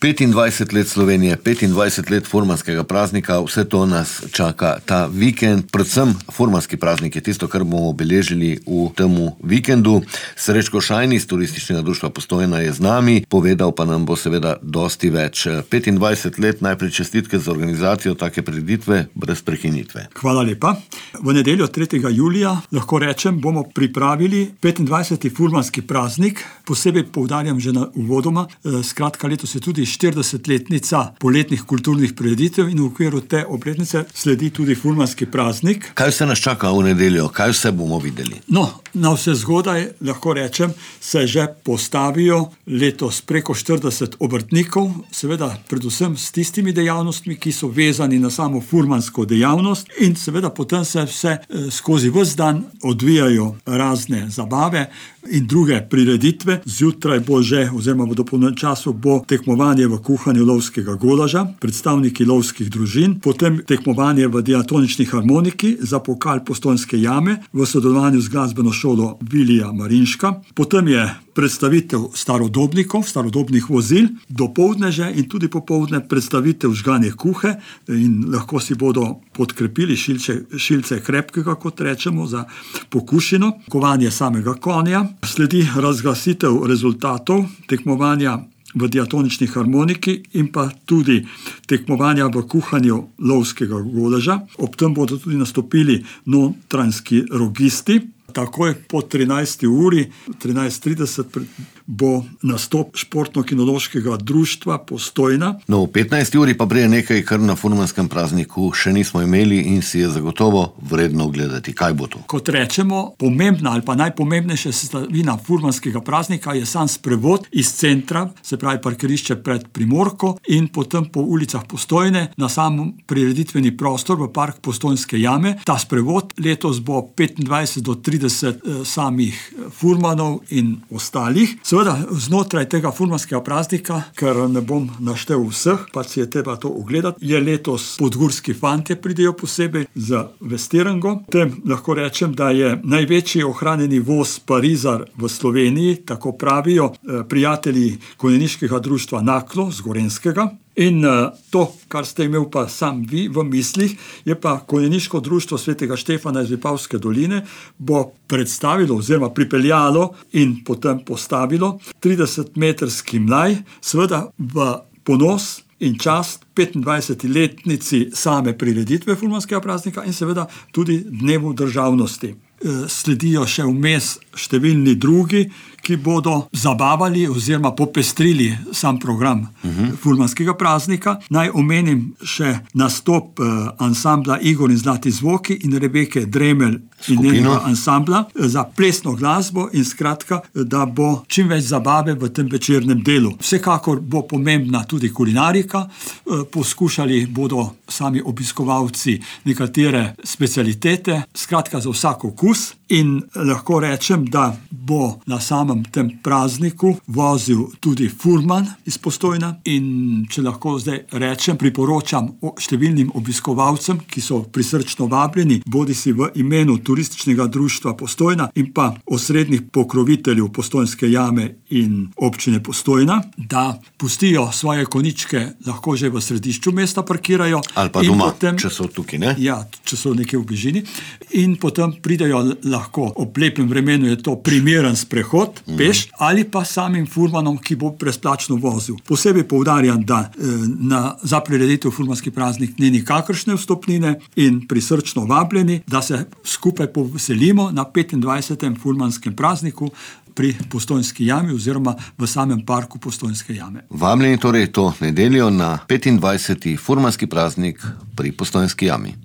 25 let Slovenije, 25 let furmanskega praznika, vse to nas čaka ta vikend. Predvsem furmanski praznik je tisto, kar bomo obeležili v temu vikendu. Srečko Šajn iz Turističnega društva Postojna je z nami, povedal pa nam bo seveda dosti več. 25 let, najprej čestitke za organizacijo take prireditve brez prekinitve. Hvala lepa. V nedeljo 3. julija, lahko rečem, bomo pripravili 25. furmanski praznik. Posebej poudarjam že na uvodoma, skratka letos je tudi 40-letnica poletnih kulturnih prireditev in v okviru te obletnice sledi tudi furmanski praznik. Kaj se nas čaka v nedeljo? Kaj vse bomo videli? Na vse zgodaj, lahko rečem, se že postavijo letos preko 40 obrtnikov, seveda predvsem s tistimi dejavnostmi, ki so vezani na samo furmansko dejavnost, in seveda potem se vse skozi ves dan odvijajo razne zabave in druge prireditve. Zjutraj bo že, oziroma v dopolnjenem času bo tekmovanje v kuhanju lovskega golaža, predstavniki lovskih družin, potem tekmovanje v diatonični harmoniki za pokal Postojnske jame v sodelovanju z glasbeno šolo Vilija Marinška, potem je predstavitev starodobnikov, starodobnih vozil, dopoldne že in tudi popoldne predstavitev žganje kuhe in lahko si bodo podkrepili šilce krepkega, kot rečemo, za pokušino, kovanje samega konja. Sledi razglasitev rezultatov tekmovanja v diatonični harmoniki in pa tudi tekmovanja v kuhanju lovskega golaža. Ob tem bodo tudi nastopili notranjski rogisti. Takoj po 13. uri, 13:30, bo nastop Športno-kinološkega društva Postojna. V 15. uri pa prije nekaj, kar na furmanskem prazniku še nismo imeli in si je zagotovo vredno gledati. Kaj bo to? Kot rečemo, pomembna ali pa najpomembnejša sestavina furmanskega praznika je sam sprevod iz centra, se pravi parkirišče pred Primorko, in potem po ulicah Postojne na sam prireditveni prostor v park Postojnske jame. Ta sprevod letos bo 25 do 30 samih furmanov in ostalih. Seveda znotraj tega furmanskega praznika, ker ne bom naštel vseh, pa si je treba to ogledati, je letos podgurski fantje pridejo posebej za vestirango. Tem lahko rečem, da je največji ohranjeni voz Parizar v Sloveniji, tako pravijo prijatelji konjeniškega društva Naklo z Gorenjskega. In to, kar ste imel pa sam vi v mislih, je pa konjeniško društvo Svetega Štefana iz Vipavske doline, bo predstavilo oziroma pripeljalo in potem postavilo 30-metrski mlaj, seveda v ponos in čast 25-letnici same prireditve furmanskega praznika in seveda tudi dnevu državnosti. Sledijo še vmes številni drugi, ki bodo zabavali oziroma popestrili sam program furmanskega praznika. Naj omenim še nastop ansambla Igor in Zlati zvoki in Rebeke Dremelj in njenega ansambla za plesno glasbo in skratka, da bo čim več zabave v tem večernem delu. Vsekakor bo pomembna tudi kulinarika, poskušali bodo sami obiskovalci nekatere specialitete, skratka za vsak okus, in lahko rečem, da bo na samem tem prazniku vozil tudi furman iz Postojna in če lahko zdaj rečem, priporočam številnim obiskovalcem, ki so prisrčno vabljeni, bodisi v imenu Turističnega društva Postojna in pa osrednjih pokroviteljev Postojnske jame in občine Postojna, da pustijo svoje konjičke lahko že v središču mesta parkirajo. Ali pa doma, potem, če so tukaj, ne? Ja, če so nekje v bližini. In potem pridejo lahko ob lepem vremenu, je to primeren sprehod, peš, ali pa samim furmanom, ki bo brezplačno vozil. Posebej poudarjam, da za prireditev furmanski praznik ni nikakršne vstopnine in prisrčno vabljeni, da se skupaj poveselimo na 25. furmanskem prazniku pri Postojnski jami oziroma v samem parku Postojnske jame. Vabljeni torej to nedeljo na 25. furmanski praznik pri Postojnski jami.